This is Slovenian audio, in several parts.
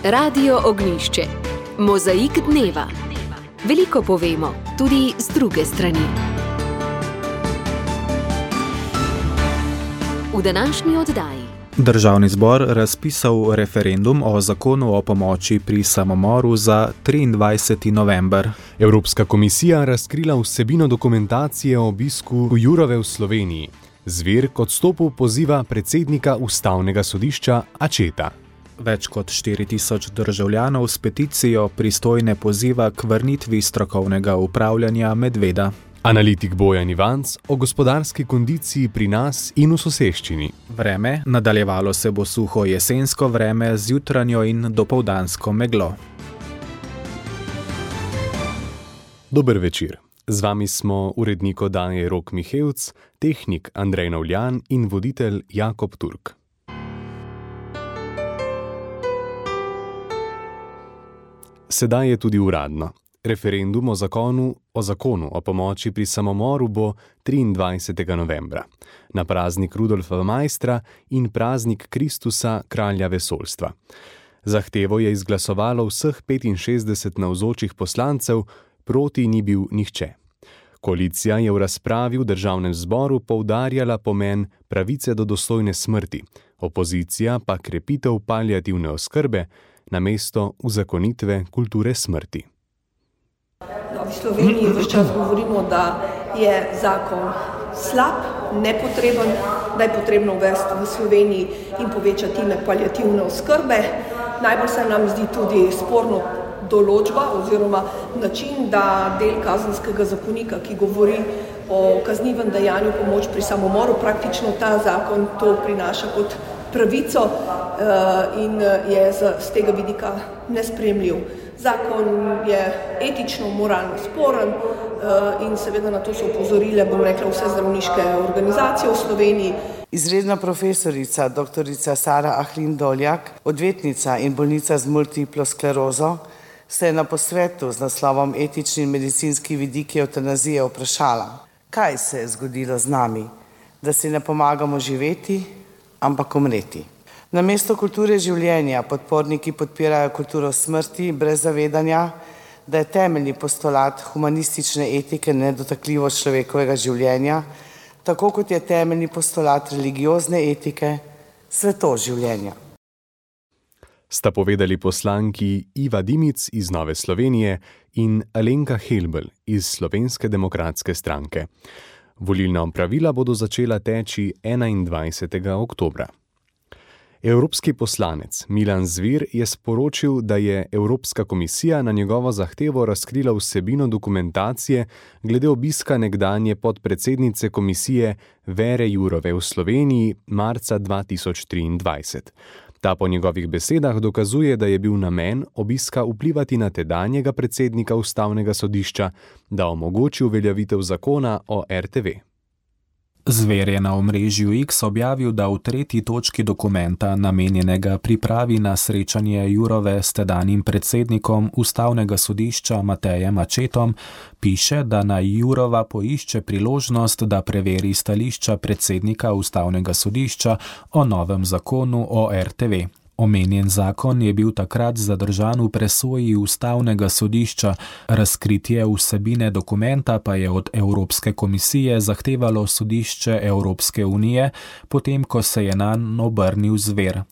Radio Ognjišče. Mozaik dneva. Veliko povemo, tudi z druge strani. V današnji oddaji. Državni zbor razpisal referendum o zakonu o pomoči pri samomoru za 23. november. Evropska komisija razkrila vsebino dokumentacije o obisku Jourove v Sloveniji. Zver k odstopu poziva predsednika Ustavnega sodišča Acceta. Več kot 4000 državljanov s peticijo pristojne poziva k vrnitvi strokovnega upravljanja medveda. Analitik Bojan Ivanc o gospodarski kondiciji pri nas in v soseščini. Vreme, nadaljevalo se bo suho jesensko vreme z jutranjo in dopoldansko meglo. Dober večer. Z vami smo urednik oddaje Rok Mihevc, tehnik Andrej Navljan in voditelj Jakob Turk. Sedaj je tudi uradno. Referendum o zakonu o pomoči pri samomoru bo 23. novembra, na praznik Rudolfa Maistra in praznik Kristusa, kralja vesoljstva. Zahtevo je izglasovalo vseh 65 navzočih poslancev, proti ni bil nihče. Koalicija je v razpravi v državnem zboru poudarjala pomen pravice do dostojne smrti, opozicija pa krepitev paliativne oskrbe namesto uzakonitve kulture smrti. V Sloveniji vse čas govorimo, da je zakon slab, nepotreben, da je potrebno uvesti v Sloveniji in povečati ime paliativne oskrbe. Najbolj se nam zdi tudi sporno določba oziroma način, da del kazenskega zakonika, ki govori o kaznivem dejanju pomoč pri samomoru, praktično ta zakon to prinaša kot pravico in je z tega vidika nesprejemljiv. Zakon je etično, moralno sporen in seveda na to so opozorile, vse zdravniške organizacije v Sloveniji. Izredna profesorica, doktorica Sara Ahlin Doljak, odvetnica in bolnica z multiplo sklerozo, se je na posvetu z naslovom Etični in medicinski vidiki evtanazije vprašala, kaj se je zgodilo z nami, da si ne pomagamo živeti, ampak umreti. Namesto kulture življenja podporniki podpirajo kulturo smrti brez zavedanja, da je temeljni postulat humanistične etike nedotakljivost človekovega življenja, tako kot je temeljni postulat religiozne etike svetost življenja. Sta povedali poslanki Iva Dimic iz Nove Slovenije in Alenka Helbl iz Slovenske demokratske stranke. Volilna opravila bodo začela teči 21. oktobra. Evropski poslanec Milan Zver je sporočil, da je Evropska komisija na njegovo zahtevo razkrila vsebino dokumentacije glede obiska nekdanje podpredsednice komisije Vere Jourove v Sloveniji marca 2023. Ta po njegovih besedah dokazuje, da je bil namen obiska vplivati na tedanjega predsednika Ustavnega sodišča, da omogoči uveljavitev zakona o RTV. Zver je na omrežju X objavil, da v 3. točki dokumenta, namenjenega pripravi na srečanje Jourove s tedanjim predsednikom Ustavnega sodišča Matejem Accetom, piše, da naj Jourova poišče priložnost, da preveri stališča predsednika Ustavnega sodišča o novem zakonu o RTV. Omenjen zakon je bil takrat zadržan v presoji Ustavnega sodišča, razkritje vsebine dokumenta pa je od Evropske komisije zahtevalo sodišče Evropske unije, potem ko se je nanj obrnil Zver.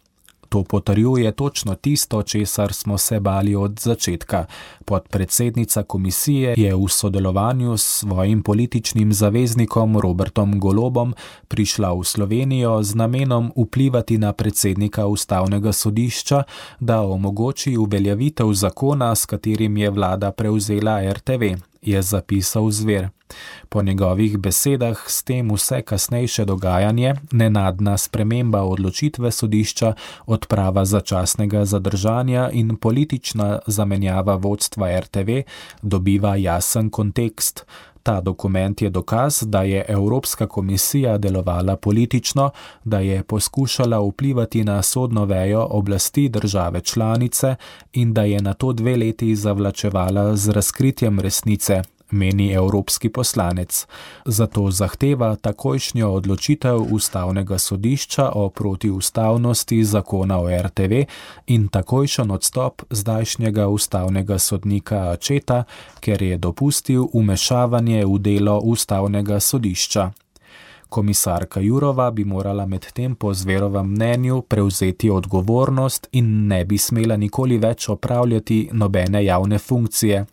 To potrjuje točno tisto, česar smo se bali od začetka. Podpredsednica komisije je v sodelovanju s svojim političnim zaveznikom Robertom Golobom prišla v Slovenijo z namenom vplivati na predsednika Ustavnega sodišča, da omogoči uveljavitev zakona, s katerim je vlada prevzela RTV, je zapisal Zver. Po njegovih besedah s tem vse kasnejše dogajanje, nenadna sprememba odločitve sodišča, odprava začasnega zadržanja in politična zamenjava vodstva RTV dobiva jasen kontekst. Ta dokument je dokaz, da je Evropska komisija delovala politično, da je poskušala vplivati na sodno vejo oblasti države članice in da je nato 2 leti zavlačevala z razkritjem resnice, meni evropski poslanec. Zato zahteva takojšnjo odločitev ustavnega sodišča o protiustavnosti zakona o RTV in takojšen odstop zdajšnjega ustavnega sodnika Accetta, ker je dopustil vmešavanje v delo ustavnega sodišča. Komisarka Jourova bi morala medtem po Zverovem mnenju prevzeti odgovornost in ne bi smela nikoli več opravljati nobene javne funkcije.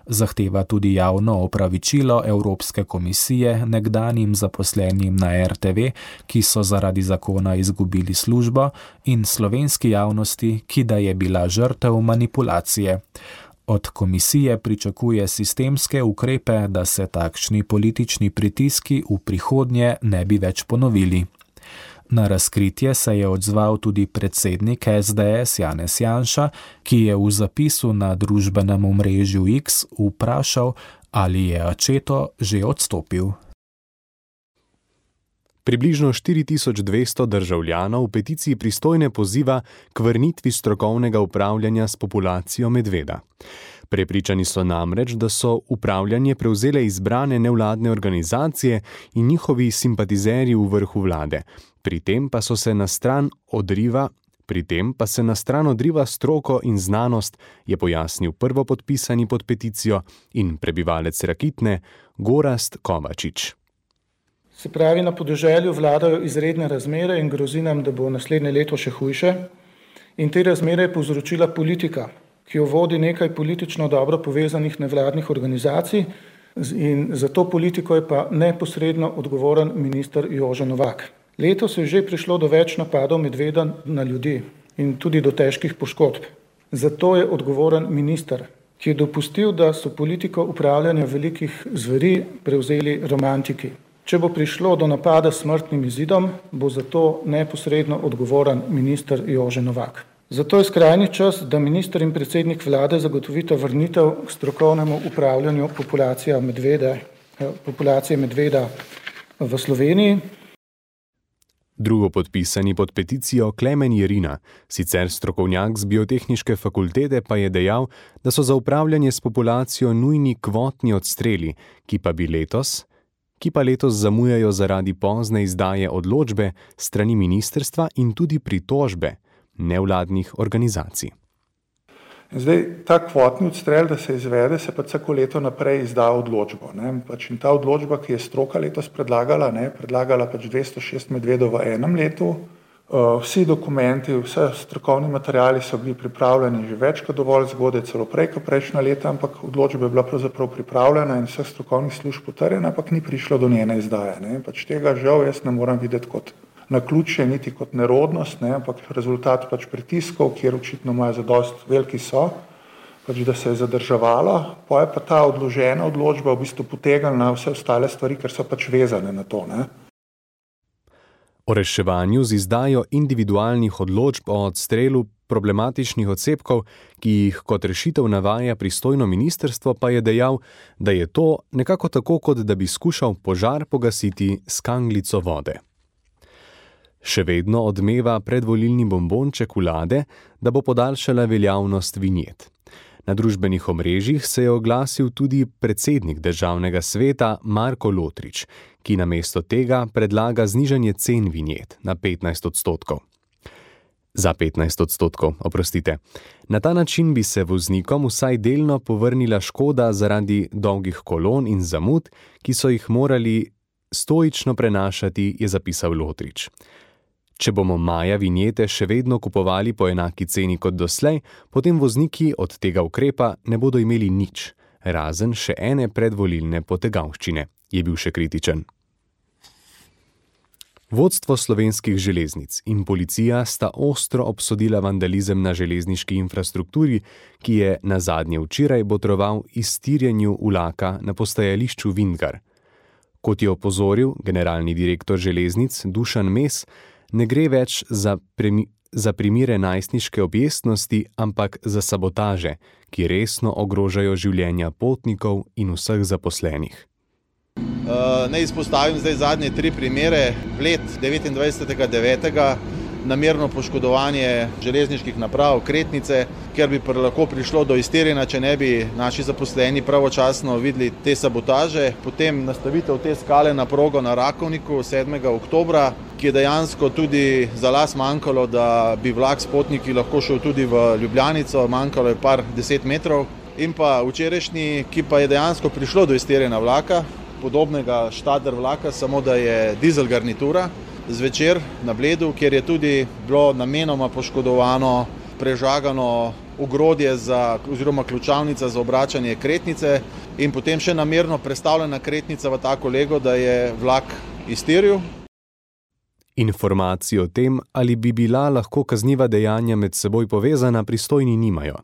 Zahteva tudi javno opravičilo Evropske komisije nekdanjim zaposlenim na RTV, ki so zaradi zakona izgubili službo, in slovenski javnosti, ki da je bila žrtev manipulacije. Od komisije pričakuje sistemske ukrepe, da se takšni politični pritiski v prihodnje ne bi več ponovili. Na razkritje se je odzval tudi predsednik SDS Janez Janša, ki je v zapisu na družbenem omrežju X vprašal, ali je Accetto že odstopil. Približno 4200 državljanov v peticiji pristojne poziva k vrnitvi strokovnega upravljanja s populacijo medveda. Prepričani so namreč, da so upravljanje prevzele izbrane nevladne organizacije in njihovi simpatizerji v vrhu vlade. Pri tem pa se na stran odriva stroko in znanost, je pojasnil prvopodpisani pod peticijo in prebivalec Rakitne Gorazd Kovačič. Se pravi, na podeželju vladajo izredne razmere in grozi nam, da bo naslednje leto še hujše. In te razmere je povzročila politika, ki jo vodi nekaj politično dobro povezanih nevladnih organizacij, in za to politiko je pa neposredno odgovoren minister Jože Novak. Letos je že prišlo do več napadov medveda na ljudi in tudi do težkih poškodb. Zato je odgovoren minister, ki je dopustil, da so politiko upravljanja velikih zveri prevzeli romantiki. Če bo prišlo do napada s smrtnim izidom, bo za to neposredno odgovoren minister Jože Novak. Zato je skrajni čas, da minister in predsednik vlade zagotovita vrnitev k strokovnemu upravljanju populacije medveda v Sloveniji. Drugo podpisani pod peticijo Klemen Jerina, sicer strokovnjak z biotehniške fakultete, pa je dejal, da so za upravljanje s populacijo nujni kvotni odstreli, ki pa letos zamujajo zaradi pozne izdaje odločbe strani ministrstva in tudi pritožbe nevladnih organizacij. Zdaj, ta kvotni odstrel, da se izvede, se pa vsako leto naprej izda odločbo. In ta odločba, ki je stroka letos predlagala 206 medvedov v enem letu. Vsi dokumenti, vse strokovni materiali so bili pripravljeni že več kot dovolj zgodaj, celo prej kot prejšnja leta, ampak odločba je bila pravzaprav pripravljena in vseh strokovnih služb potrjena, ampak ni prišlo do njene izdaje. Tega žal jaz ne moram videti kot naključje, niti kot nerodnost, ampak rezultat pritiskov, kjer očitno imajo zadost veliki so, da se je zadrževalo, pa je pa ta odložena odločba v bistvu potegnila na vse ostale stvari, ker so vezane na to. O reševanju z izdajo individualnih odločb o odstrelu problematičnih odsepkov, ki jih kot rešitev navaja pristojno ministrstvo, pa je dejal, da je to nekako tako, kot da bi skušal požar pogasiti s kanglico vode. Še vedno odmeva predvolilni bombonček vlade, da bo podaljšala veljavnost vinjet. Na družbenih omrežjih se je oglasil tudi predsednik državnega sveta Marko Lotrič, ki namesto tega predlaga znižanje cen vinjet na 15%. Za 15%, oprostite. Na ta način bi se voznikom vsaj delno povrnila škoda zaradi dolgih kolon in zamud, ki so jih morali stoično prenašati, je zapisal Lotrič. Če bomo maja vinjete še vedno kupovali po enaki ceni kot doslej, potem vozniki od tega ukrepa ne bodo imeli nič, razen še ene predvolilne potegavščine, je bil še kritičen. Vodstvo Slovenskih železnic in policija sta ostro obsodila vandalizem na železniški infrastrukturi, ki je nazadnje včeraj botroval iztirjenju vlaka na postajališču Vintgar. Kot je opozoril generalni direktor železnic Dušan Mes, ne gre več za primere najstniške objestnosti, ampak za sabotaže, ki resno ogrožajo življenja potnikov in vseh zaposlenih. Ne izpostavim zdaj zadnje 3 primere. Bled 29.9. namerno poškodovanje železniških naprav, kretnice, ker bi lahko prišlo do iztirjenja, če ne bi naši zaposleni pravočasno videli te sabotaže. Potem nastavitev te skale na progo na Rakovniku 7. oktobra, ki je dejansko tudi za las manjkalo, da bi vlak s potniki lahko šel tudi v Ljubljanico, manjkalo je par 10 metrov. In pa včerajšnji, ki pa je dejansko prišlo do iztirjenja vlaka, podobnega štader vlaka, samo da je dizel garnitura, zvečer na Bledu, kjer je tudi bilo namenoma poškodovano, prežagano ogrodje oziroma ključavnica za obračanje kretnice in potem še namerno prestavljena kretnica v tako lego, da je vlak iztiril. Informacij o tem, ali bi bila lahko kazniva dejanja med seboj povezana, pristojni nimajo.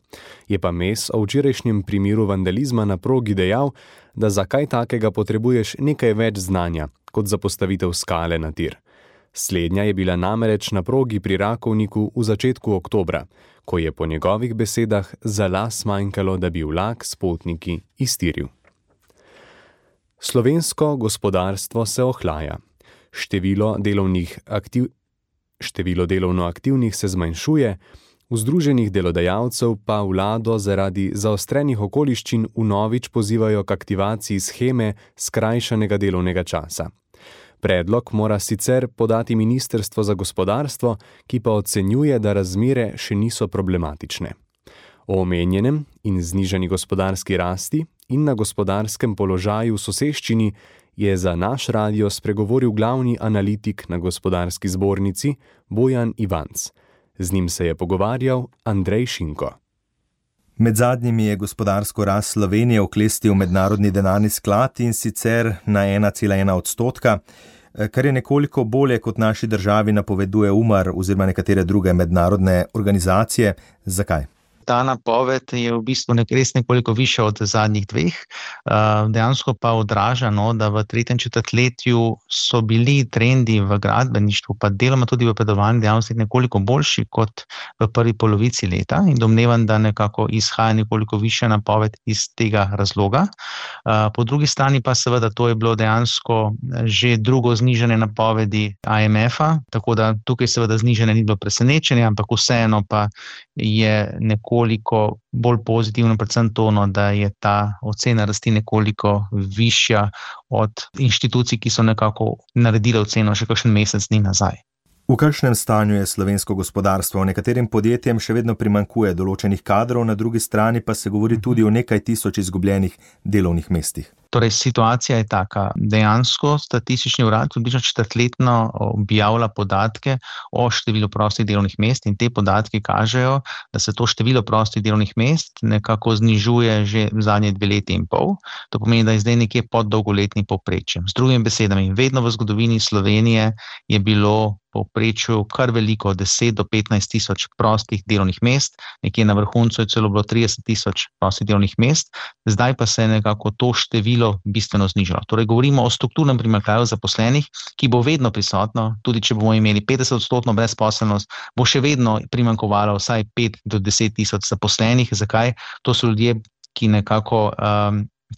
Je pa Mes o včerajšnjem primeru vandalizma na progi dejal, da za kaj takega potrebuješ nekaj več znanja, kot za postavitev skale na tir. Slednja je bila namreč na progi pri Rakovniku v začetku oktobra, ko je po njegovih besedah za las manjkalo, da bi vlak s potniki iztiril. Slovensko gospodarstvo se ohlaja. Število delovno aktivnih se zmanjšuje, v združenih delodajalcev pa vlado zaradi zaostrenih okoliščin vnovič pozivajo k aktivaciji sheme skrajšanega delovnega časa. Predlog mora sicer podati Ministrstvo za gospodarstvo, ki pa ocenjuje, da razmere še niso problematične. O omenjenem in znižani gospodarski rasti in na gospodarskem položaju v soseščini je za naš radio spregovoril glavni analitik na Gospodarski zbornici Bojan Ivanc. Z njim se je pogovarjal Andrej Šinko. Med zadnjimi je gospodarsko rast Slovenije oklestil Mednarodni denarni sklad in sicer na 1,1%, kar je nekoliko bolje kot naši državi napoveduje UMAR oziroma nekatere druge mednarodne organizacije. Zakaj? Ta napoved je v bistvu res nekoliko višja od zadnjih dveh, dejansko pa odraža, da v tretjem četrtletju so bili trendi v gradbeništvu, pa deloma tudi v predelovalni dejavnosti nekoliko boljši kot v prvi polovici leta in domnevam, da nekako izhaja nekoliko višja napoved iz tega razloga. Po drugi strani pa seveda to je bilo dejansko že drugo znižanje napovedi IMF-a, tako da tukaj seveda znižanje ni bilo presenečenje, ampak vseeno pa je nekoliko bolj pozitivno, predvsem to, da je ta ocena rasti nekoliko višja od inštitucij, ki so nekako naredile oceno še kakšen mesec dni nazaj. V kakšnem stanju je slovensko gospodarstvo? Nekaterim podjetjem še vedno primanjkuje določenih kadrov, na drugi strani pa se govori tudi o nekaj tisoč izgubljenih delovnih mestih. Torej, situacija je taka. Dejansko statistični urad približno četrtletno objavlja podatke o številu prostih delovnih mest in te podatki kažejo, da se to število prostih delovnih mest nekako znižuje že zadnje 2 leti in pol. To pomeni, da je zdaj nekje pod dolgoletnim povprečjem. Z drugimi besedami, vedno v zgodovini Slovenije je bilo povprečju kar veliko 10 do 15 tisoč prostih delovnih mest, nekje na vrhuncu je celo bilo 30 tisoč prostih delovnih mest, zdaj pa se je nekako to število bistveno znižalo. Torej govorimo o strukturnem primanjkljaju zaposlenih, ki bo vedno prisotno, tudi če bomo imeli 50% brezposelnost, bo še vedno primanjkovalo vsaj 5 do 10 tisoč zaposlenih. Zakaj? To so ljudje, ki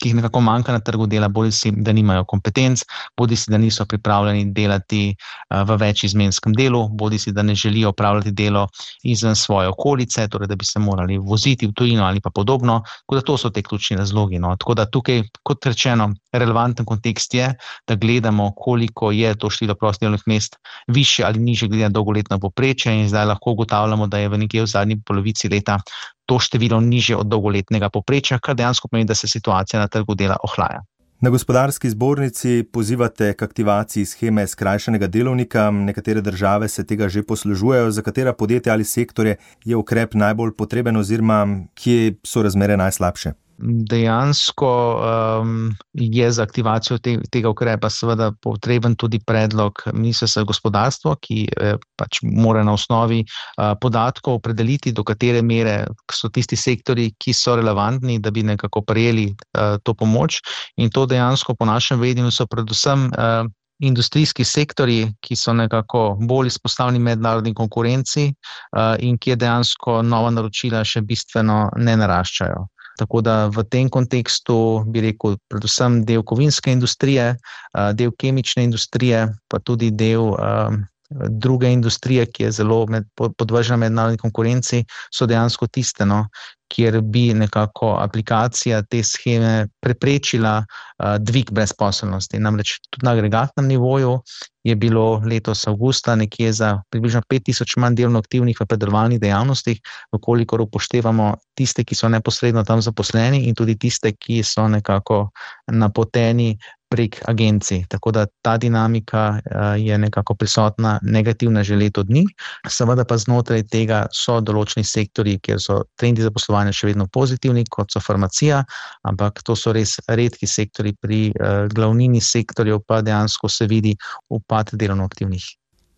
jih nekako manjka na trgu dela, bodisi da nimajo kompetenc, bodisi da niso pripravljeni delati v večizmenskem delu, bodisi da ne želijo opravljati delo izven svoje okolice, torej da bi se morali voziti v tujino ali pa podobno, tako da to so te ključni razlogi. Tako da tukaj, kot rečeno, relevanten kontekst je, da gledamo, koliko je to število prostih delovnih mest više ali nižje glede na dolgoletno povprečje in zdaj lahko ugotavljamo, da je v nekje v zadnji polovici leta to število nižje od dolgoletnega povprečja, kar dejansko pomeni, da se situacija na trgu dela ohlaja. Na Gospodarski zbornici pozivate k aktivaciji sheme skrajšanega delovnika. Nekatere države se tega že poslužujejo. Za katera podjetja ali sektorje je ukrep najbolj potreben oziroma kje so razmere najslabše? Dejansko je za aktivacijo tega ukrepa seveda potreben tudi predlog Ministrstva za gospodarstvo, ki pač mora na osnovi podatkov opredeliti, do katere mere so tisti sektorji, ki so relevantni, da bi nekako prejeli to pomoč. In to dejansko po našem vedenju so predvsem industrijski sektorji, ki so nekako bolj izpostavljeni mednarodni konkurenci in ki je dejansko nova naročila še bistveno ne naraščajo. Tako da v tem kontekstu bi rekel predvsem del kovinske industrije, del kemične industrije, pa tudi del druge industrije, ki je zelo podvržena mednarodni konkurenci, so dejansko tiste, kjer bi nekako aplikacija te sheme preprečila dvig brezposelnosti. Namreč tudi na agregatnem nivoju je bilo letos avgusta nekje za približno 5000 manj delovno aktivnih v predelovalnih dejavnostih, vkolikor upoštevamo tiste, ki so neposredno tam zaposleni in tudi tiste, ki so nekako napoteni prek agencij. Tako da ta dinamika je nekako prisotna negativna že leto dni. Seveda pa znotraj tega so določeni sektorji, kjer so trendi zaposlovanja še vedno pozitivni, kot so farmacija, ampak to so res redki sektorji, pri glavnini sektorjev pa dejansko se vidi upad delovno aktivnih.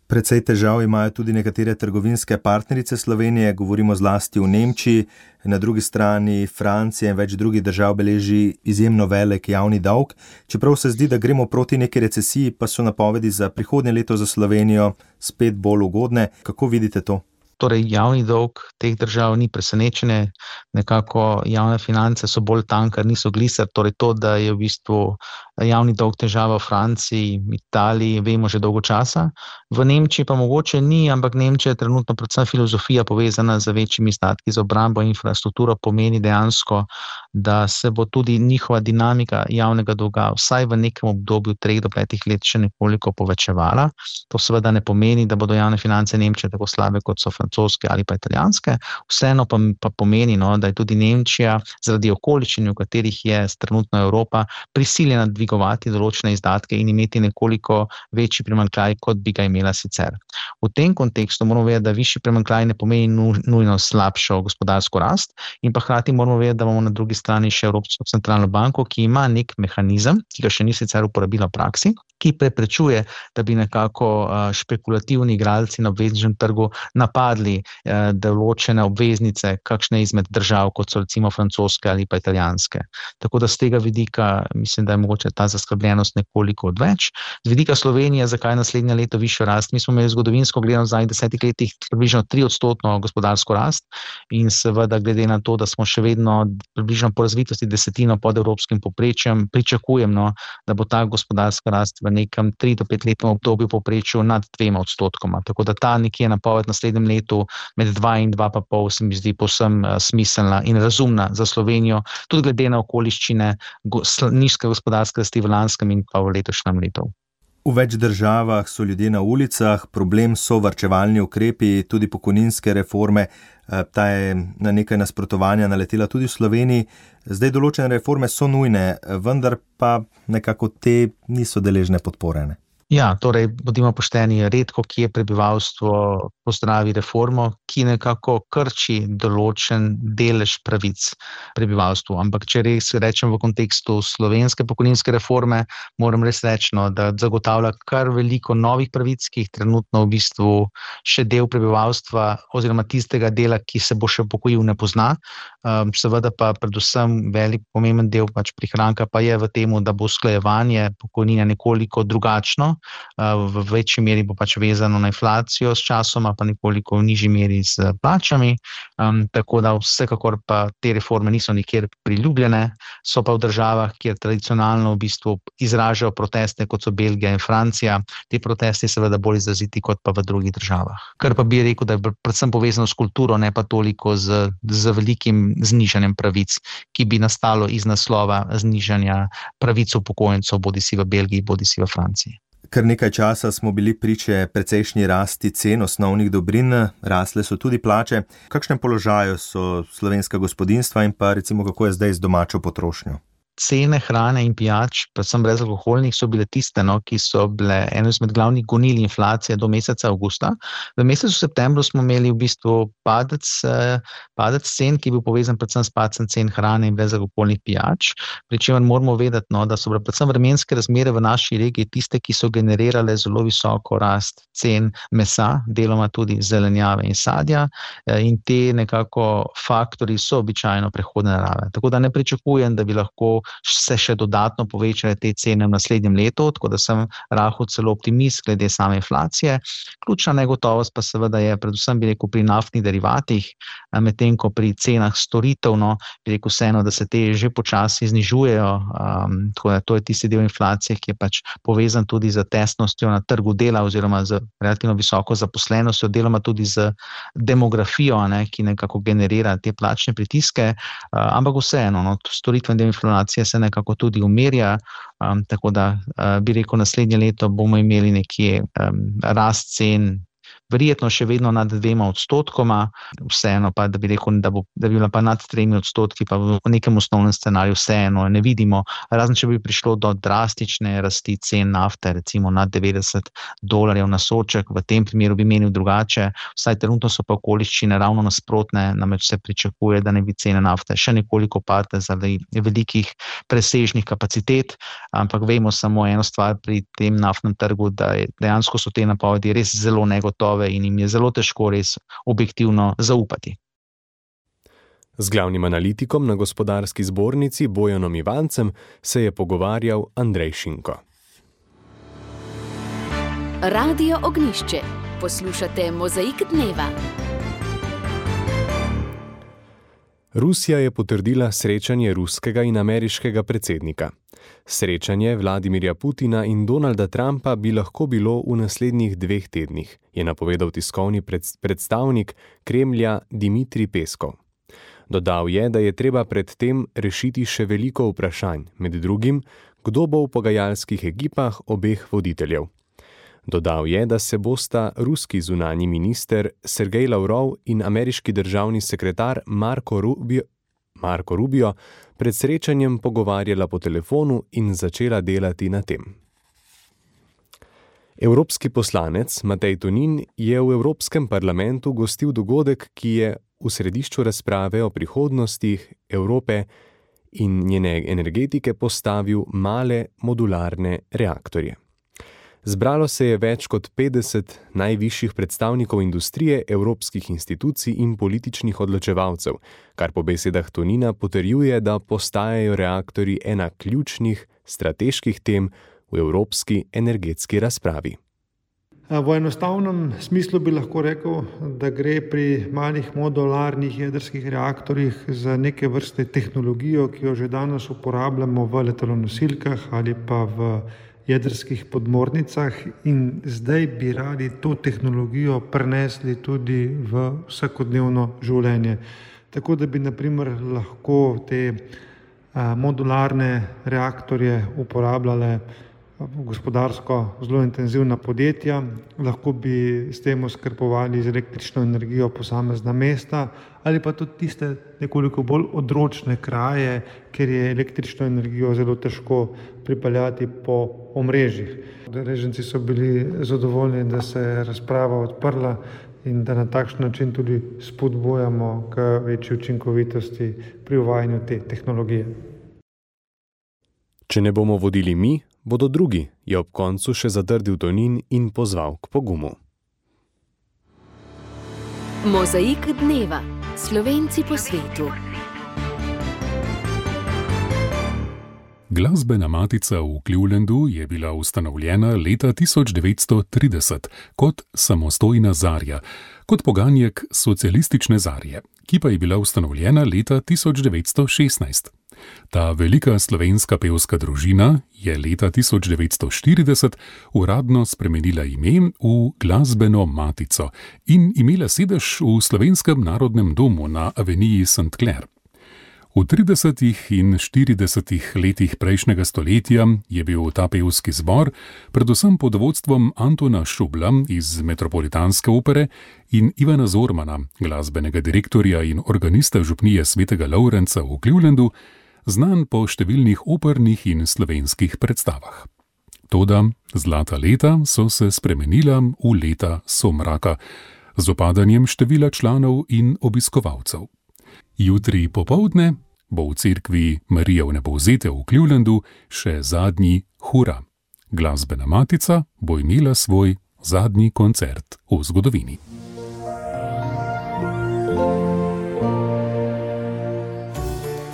Precej težav imajo tudi nekatere trgovinske partnerice Slovenije, govorimo zlasti v Nemčiji, na drugi strani Francija in več drugih držav beleži izjemno velik javni dolg. Čeprav se zdi, da gremo proti neki recesiji, pa so napovedi za prihodnje leto za Slovenijo spet bolj ugodne. Kako vidite to? Torej, javni dolg teh držav ni presenečenje, nekako javne finance so bolj tanke, niso gliser, torej to, da je v bistvu javni dolg težava v Franciji, Italiji, vemo že dolgo časa. V Nemčiji pa mogoče ni, ampak Nemčija je trenutno predvsem filozofija povezana z večjimi izdatki za obrambo in infrastrukturo, pomeni dejansko, da se bo tudi njihova dinamika javnega dolga vsaj v nekem obdobju 3 do 5 let še nekoliko povečevala. To seveda ne pomeni, da bodo javne finance Nemčije tako slabe, kot so francoske ali pa italijanske. Vseeno pa pomeni, da je tudi Nemčija zaradi okoliščin, v katerih je trenutno Evropa, prisiljena dvigovati določene izdatke in imeti nekoliko večji primanjkljaj, kot bi ga imela sicer. V tem kontekstu moramo vedeti, da višji primanjkljaj ne pomeni nujno slabšo gospodarsko rast in pa hkrati moramo vedeti, da imamo na drugi strani še Evropsko centralno banko, ki ima nek mehanizem, ki ga še ni sicer uporabila v praksi, ki preprečuje, da bi nekako špekulativni igralci na obvezničnem trgu napadli določene obveznice kakšne izmed držav, kot so recimo francoske ali pa italijanske. Tako da z tega vidika mislim, da je mogoče ta zaskrbljenost nekoliko odveč. Z vidika Slovenije, zakaj naslednje leto višjo rast? Mi smo imeli zgodovinsko gledano v zadnjih 10 letih približno 3% gospodarsko rast in seveda glede na to, da smo še vedno približno po razvitosti 10% pod evropskim povprečjem, pričakujem, da bo ta gospodarska rast v nekem 3 do 5 letnem obdobju povprečju nad 2%. Tako da ta nekje napoved naslednjem letu med 2 in 2,5 se mi zdi povsem smiselna in razumna za Slovenijo, tudi glede na okoliščine nizke gospodarske rasti v lanskem in pa v letošnjem letu. V več državah so ljudje na ulicah, problem so varčevalni ukrepi, tudi pokojninske reforme, ta je na nekaj nasprotovanja naletela tudi v Sloveniji. Zdaj določene reforme so nujne, vendar pa nekako te niso deležne podpore. Ja, torej, bodimo pošteni, redko kje prebivalstvo pozdravi reformo, ki nekako krči določen delež pravic prebivalstvu. Ampak če res rečem v kontekstu slovenske pokojninske reforme, moram res reči, da zagotavlja kar veliko novih pravic, ki jih trenutno v bistvu še del prebivalstva oziroma tistega dela, ki se bo še upokojil, ne pozna. Seveda pa predvsem velik pomemben del prihranka pa je v tem, da bo usklajevanje pokojnine nekoliko drugačno, v večji meri bo vezano na inflacijo s časoma, pa nekoliko v nižji meri s plačami, tako da vsekakor pa te reforme niso nikjer priljubljene, so pa v državah, kjer tradicionalno v bistvu izražajo proteste, kot so Belgija in Francija, te protesti seveda bolj izraziti kot pa v drugih državah. Kar pa bi rekel, da je predvsem povezano s kulturo, ne pa toliko z velikim znižanjem pravic, ki bi nastalo iz naslova znižanja pravic upokojencev, bodisi v Belgiji, bodisi v Franciji. Kar nekaj časa smo bili priče precejšnji rasti cen osnovnih dobrin, rasle so tudi plače. V kakšnem položaju so slovenska gospodinjstva in pa recimo kako je zdaj z domačo potrošnjo? Cene hrane in pijač, predvsem brezalkoholnih, so bile tiste, ki so bile eno izmed glavnih gonil inflacije do meseca avgusta. V mesecu septembru smo imeli v bistvu padec cen, ki je bil povezan predvsem s padcem cen hrane in brezalkoholnih pijač, pri čemer moramo vedeti, da so bile predvsem vremenske razmere v naši regiji tiste, ki so generirale zelo visoko rast cen mesa, deloma tudi zelenjave in sadja, in te nekako faktorji so običajno prehodne narave. Tako da ne pričakujem, da bi lahko se še dodatno povečale te cene v naslednjem letu, tako da sem rahel celo optimist glede same inflacije. Ključna negotovost pa seveda je predvsem, bi rekel, pri naftnih derivatih, medtem ko pri cenah storitev, bi rekel vseeno, da se te že počasi znižujejo, tako da to je tisti del inflacije, ki je pač povezan tudi z tesnostjo na trgu dela oziroma z relativno visoko zaposlenostjo, deloma tudi z demografijo, ki nekako generira te plačne pritiske, ampak vseeno, storitveni del inflacije se nekako tudi umirja, tako da bi rekel, naslednje leto bomo imeli nekje rast cen, verjetno še vedno nad 2%, vseeno pa, da bi rekel, da bi bila pa nad 3%, pa v nekem osnovnem scenariju vseeno ne vidimo, razen če bi prišlo do drastične rasti cen nafte, recimo nad $90 na sodček, v tem primeru bi menil drugače, vsaj trenutno so pa okoliščine ravno nasprotne, namreč se pričakuje, da ne bi cene nafte še nekoliko padle zaradi velikih presežnih kapacitet, ampak vemo samo eno stvar pri tem naftnem trgu, da dejansko so te napovedi res zelo negotove in jim je zelo težko res objektivno zaupati. Z glavnim analitikom na Gospodarski zbornici Bojanom Ivancem se je pogovarjal Andrej Šinko. Radio Ognjišče. Poslušate Mozaik dneva. Rusija je potrdila srečanje ruskega in ameriškega predsednika. Srečanje Vladimirja Putina in Donalda Trumpa bi lahko bilo v naslednjih 2 tednih, je napovedal tiskovni predstavnik Kremlja Dimitrij Peskov. Dodal je, da je treba pred tem rešiti še veliko vprašanj, med drugim, kdo bo v pogajalskih ekipah obeh voditeljev. Dodal je, da se bosta ruski zunanji minister Sergej Lavrov in ameriški državni sekretar Marco Rubio pred srečanjem pogovarjala po telefonu in začela delati na tem. Evropski poslanec Matej Tonin je v Evropskem parlamentu gostil dogodek, ki je v središču razprave o prihodnostih Evrope in njene energetike postavil male modularne reaktorje. Zbralo se je več kot 50 najvišjih predstavnikov industrije, evropskih institucij in političnih odločevalcev, kar po besedah Tonina potrjuje, da postajajo reaktorji ena ključnih strateških tem v evropski energetski razpravi. V enostavnem smislu bi lahko rekel, da gre pri malih modularnih jedrskih reaktorjih za neke vrste tehnologijo, ki jo že danes uporabljamo v letalonosilkah ali pa v jedrskih podmornicah in zdaj bi radi to tehnologijo prenesli tudi v vsakodnevno življenje. Tako da bi na primer lahko te modularne reaktorje uporabljale gospodarsko zelo intenzivna podjetja, lahko bi s tem oskrbovali z električno energijo posamezna mesta ali pa tudi tiste nekoliko bolj odročne kraje, kjer je električno energijo zelo težko pripeljati po omrežjih. Udeleženci so bili zadovoljni, da se je razprava odprla in da na takšen način tudi spodbujamo k večji učinkovitosti pri uvajanju te tehnologije. Če ne bomo vodili mi, bodo drugi, je ob koncu še zatrdil Tonin in pozval k pogumu. Mozaik dneva. Slovenci po svetu. Glasbena matica v Clevelandu je bila ustanovljena leta 1930 kot samostojna zarja, kot poganjek socialistične zarje, ki pa je bila ustanovljena leta 1916. Ta velika slovenska pevska družina je leta 1940 uradno spremenila ime v Glasbeno matico in imela sedež v Slovenskem narodnem domu na aveniji St. Clair. V 30. in 40. letih prejšnjega stoletja je bil ta pevski zbor, predvsem pod vodstvom Antona Šubla iz Metropolitanske opere in Ivana Zormana, glasbenega direktorja in organista župnije Svetega Lovrenca v Clevelandu, znan po številnih opernih in slovenskih predstavah. Toda zlata leta so se spremenila v leta somraka, z opadanjem števila članov in obiskovalcev. Jutri popoldne bo v cerkvi Marije Vnebovzete v Clevelandu še zadnji hura. Glasbena matica bo imela svoj zadnji koncert v zgodovini.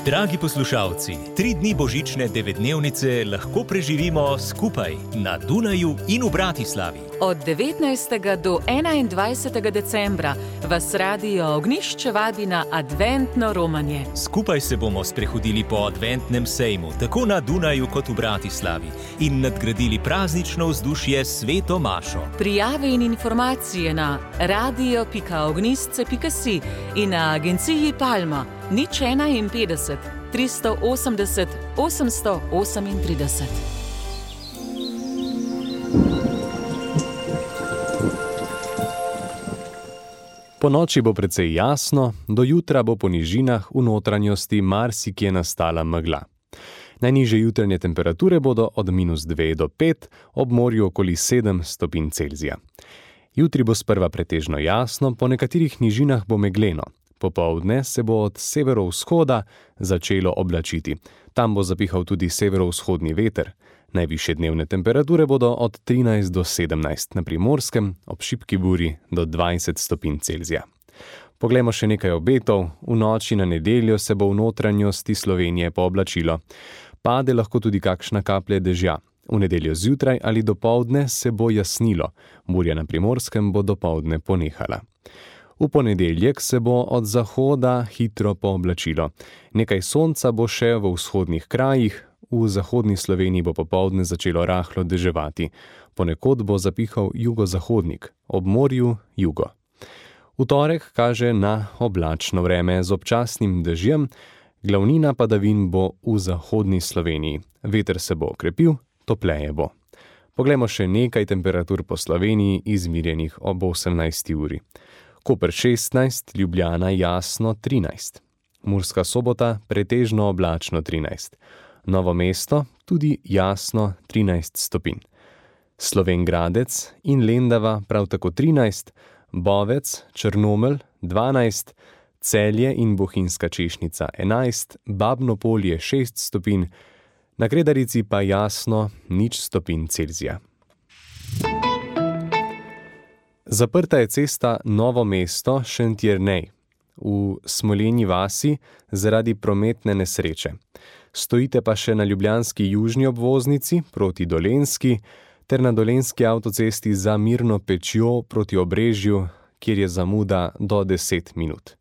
Dragi poslušalci, 3 dni božične 9-dnevnice lahko preživimo skupaj na Dunaju in v Bratislavi. Od 19. do 21. decembra vas Radio Ognjišče vabi na adventno romanje. Skupaj se bomo sprehodili po adventnem sejmu, tako na Dunaju kot v Bratislavi, in nadgradili praznično vzdušje s Sveto mašo. Prijave in informacije na radio.ognjišče.si in na agenciji Palma 051 380 838. Po noči bo precej jasno, do jutra bo po nižinah v notranjosti marsikje nastala megla. Najnižje jutranje temperature bodo od -2 do 5, ob morju okoli 7 stopinj Celzija. Jutri bo sprva pretežno jasno, po nekaterih nižinah bo megleno. Popoldne se bo od severovzhoda začelo oblačiti. Tam bo zapihal tudi severovzhodni veter. Najvišje dnevne temperature bodo od 13 do 17, na Primorskem ob šibki buri do 20 stopinj Celzija. Poglejmo še nekaj obetov. V noči na nedeljo se bo v notranjosti Slovenije pooblačilo. Pade lahko tudi kakšna kaplja dežja. V nedeljo zjutraj ali dopoldne se bo jasnilo. Burja na Primorskem bo dopoldne ponehala. V ponedeljek se bo od zahoda hitro pooblačilo. Nekaj sonca bo še v vzhodnih krajih, v zahodni Sloveniji bo popoldne začelo rahlo deževati. Ponekod bo zapihal jugozahodnik, ob morju jugo. V torek kaže na oblačno vreme z občasnim dežjem, glavnina padavin bo v zahodni Sloveniji. Veter se bo okrepil, topleje bo. Poglejmo še nekaj temperatur po Sloveniji, izmerjenih ob 18. uri. Koper 16, Ljubljana jasno 13. Murska Sobota pretežno oblačno 13. Novo mesto tudi jasno 13 stopinj. Slovenj Gradec in Lendava prav tako 13, Bovec, Črnomelj 12, Celje in Bohinjska Češnica 11, Babno Polje 6 stopinj, na Kredarici pa jasno 0 stopinj Celzija. Zaprta je cesta Novo mesto Šentjernej v Smolenji vasi zaradi prometne nesreče. Stojite pa še na ljubljanski južni obvoznici proti Dolenjski ter na dolenjski avtocesti za Mirno Pečjo proti Obrežju, kjer je zamuda do 10 minut.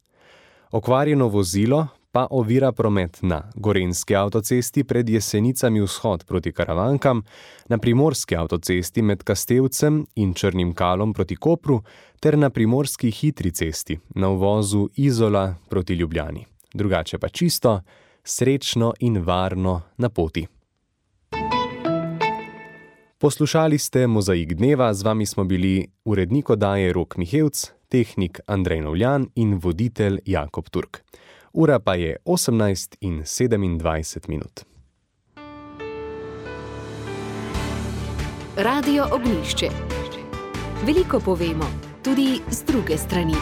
Okvarjeno vozilo pa ovira promet na Gorenjski avtocesti pred Jesenicami vzhod proti Karavankam, na Primorski avtocesti med Kastevcem in Črnim Kalom proti Kopru ter na Primorski hitri cesti na uvozu Izola proti Ljubljani. Drugače pa čisto, srečno in varno na poti. Poslušali ste Mozaik dneva, z vami smo bili urednik oddaje Rok Mihevc, tehnik Andrej Novljan in voditelj Jakob Turk. Ura pa je 18:27. Radio Ognjišče. Veliko povemo, tudi z druge strani.